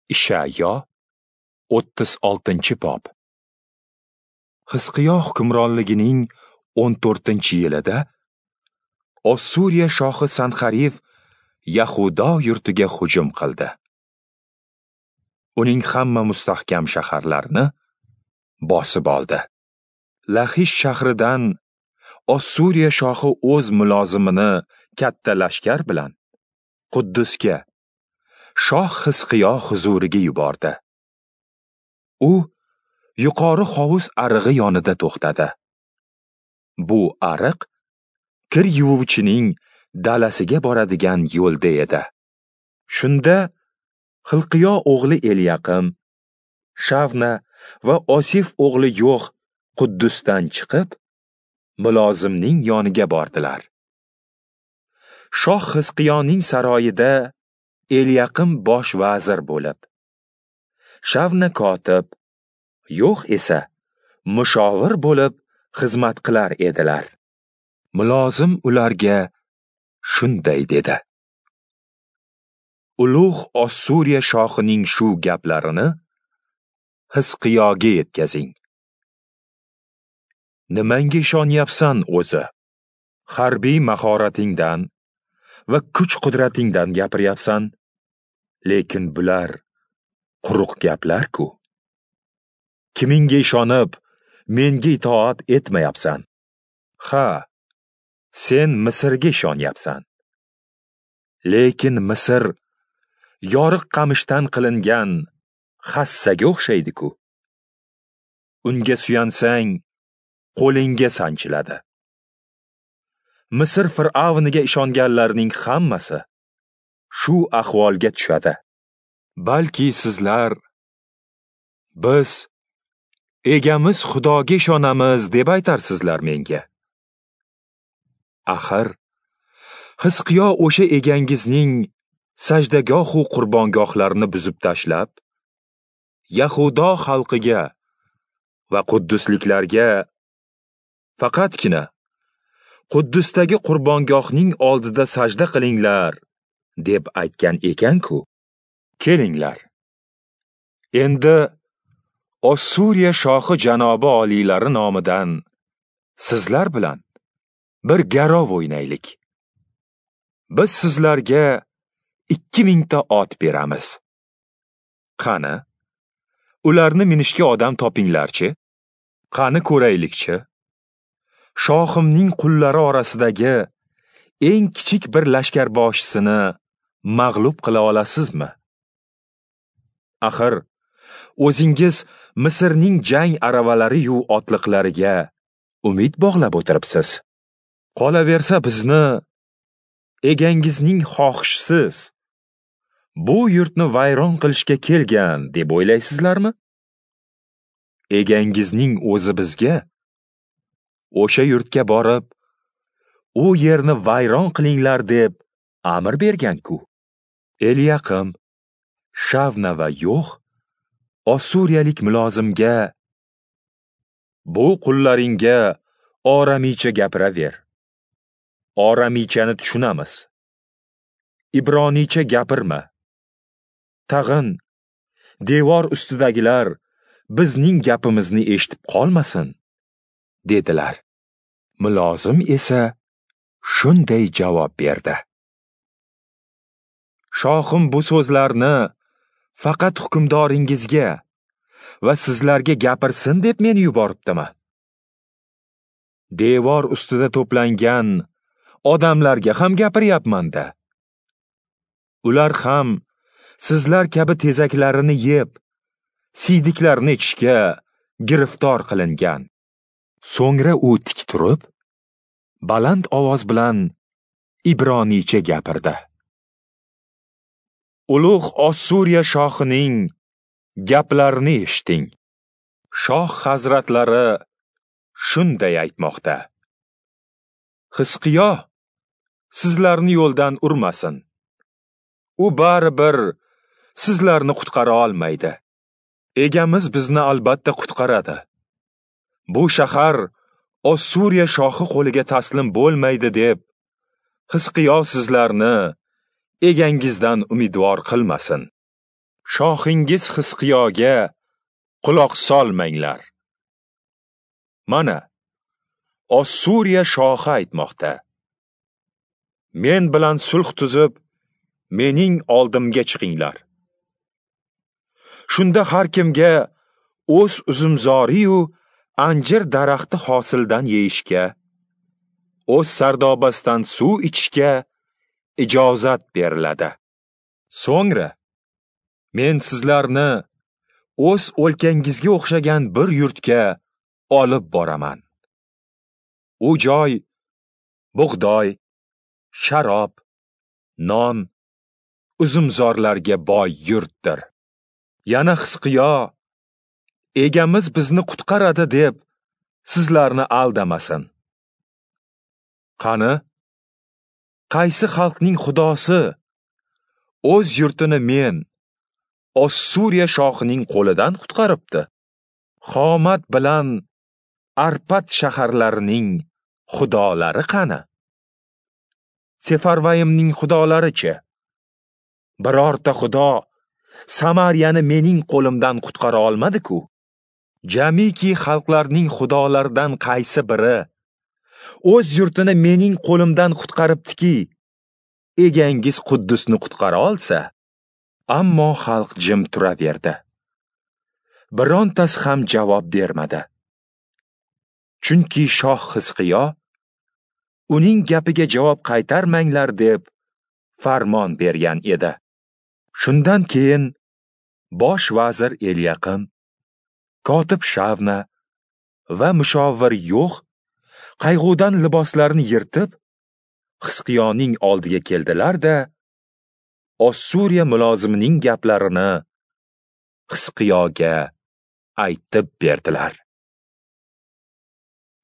Ishayo 36-bob. Hizqiyo hukmronligining 14-yilida Ossuriya shohi Sanxarif Yahudo yurtiga hujum qildi. Uning hamma mustahkam shaharlarini bosib oldi. Laxish shahridan Ossuriya shohi o'z mulozimini katta lashkar bilan Quddusga, shoh Hizqiyo huzuriga yubordi. U yuqori hovuz arig'i yonida to'xtadi. Bu ariq kir yuvuvchining dalasiga boradigan yo'lda edi. Shunda Xilqiyo o'g'li Elyaqim, Shavna va Osif o'g'li Yo'x Quddusdan chiqib, mulozimning yoniga bordilar. Shoh Hizqiyoning saroyida Elyaqim bosh vazir bo'lib, Shavna kotib, Yo'x esa mushovir bo'lib xizmat qilar edilar. Mulozim ularga shunday dedi: Ulug' Ossuriya shohining shu gaplarini Hizqiyoga yetkazing. Nimanga ishonyapsan o'zi? Harbiy mahoratingdan va kuch-qudratingdan gapiryapsan, lekin bular quruq gaplar-ku. Kimingga ishonib, menga itoat etmayapsan? Ha, sen Misrga ishonyapsan. Lekin Misr yoriq qamishdan qilingan hassaga o'xshaydi-ku. Unga suyansang, qo'lingga sanchiladi. Misr fir'avniga ishonganlarning hammasi shu ahvolga tushadi. Balki sizlar biz egamiz Xudoga ishonamiz deb aytarsizlar menga. Axir Hizqiyo o'sha egangizning sajdagohu qurbongohlarini buzib tashlab, Yahudo xalqiga va quddusliklarga faqatgina Quddusdagi qurbongohning oldida sajda qilinglar deb aytgan ekan-ku. Kelinglar. Endi Ossuriya shohi janobi oliylari nomidan sizlar bilan bir garov o'ynaylik. Biz sizlarga 2000 ta ot beramiz. Qani, ularni minishga odam topinglarchi? Qani ko'raylikchi? Shohimning qullari orasidagi eng kichik bir lashkarboshisini mag'lub qila olasizmi? Axir, o'zingiz Misrning jang aravalari-yu otliqlariga umid bog'lab o'tiribsiz. Qolaversa bizni egangizning xohishsiz bu yurtni vayron qilishga kelgan deb o'ylaysizlarmi? Egangizning o'zi bizga o'sha yurtga borib, u yerni vayron qilinglar deb amr bergan-ku. Elyaqim, Shavna va Yo'x Ossuriyalik mulozimga: bu qullaringga oramicha gapiraver. Oramichani tushunamiz. Ibroniycha gapirma. Tag'in devor ustidagilar bizning gapimizni eshitib qolmasin, dedilar. Mulozim esa shunday javob berdi: Shohim bu so'zlarni faqat hukmdoringizga va sizlarga gapirsin deb meni yuboribdimi? Devor ustida to'plangan odamlarga ham gapiryapman-da. Ular ham sizlar kabi tezaklarini yeb, siydiklarini ichishga giriftor qilingan. So'ngra u tik turib, baland ovoz bilan ibroniycha gapirdi. Ulug' Ossuriya shohining gaplarini eshiting. Shoh hazratlari shunday aytmoqda: Hizqiyo sizlarni yo'ldan urmasin. U baribir sizlarni qutqara olmaydi. Egamiz bizni albatta qutqaradi. Bu shahar Ossuriya shohi qo'liga taslim bo'lmaydi deb Hizqiyo sizlarni egangizdan umidvor qilmasin. Shohingiz Xizqiyoga quloq solmanglar. Mana, Ossuriya shohi aytmoqda: Men bilan sulh tuzib, mening oldimga chiqinglar. Shunda har kimga o'z uzumzoriyu anjir daraxti hosildan yeyishga, o'z sardobasidan suv ichishga ijozat beriladi. So'ngra men sizlarni o'z o'lkangizga o'xshagan bir yurtga olib boraman. U joy bug'doy, sharob, non, uzumzorlarga boy yurtdir. Yana Xizqiyo, egamiz bizni qutqaradi deb sizlarni aldamasin. Qani, qaysi xalqning xudosi o'z yurtini men, Ossuriya shohining qo'lidan qutqaribdi? Xomat bilan Arpat shaharlarining xudolari qani? Sefarvayimning xudolari-chi? Birorta xudo Samariyani mening qo'limdan qutqara olmadi-ku. Jamiki xalqlarning xudolaridan qaysi biri o'z yurtini mening qo'limdan qutqaribdiki, egangiz Quddusni qutqara olsa? Ammo xalq jim turaverdi. Birontasi ham javob bermadi. Chunki shoh Xizqiyo uning gapiga javob qaytarmanglar deb farmon bergan edi. Shundan keyin bosh vazir Elyaqim, kotib Shavna va mushovir Yo'x qayg'udan liboslarini yirtib, Xizqiyoning oldiga keldilar-da, Ossuriya mulozimining gaplarini Xizqiyoga aytib berdilar.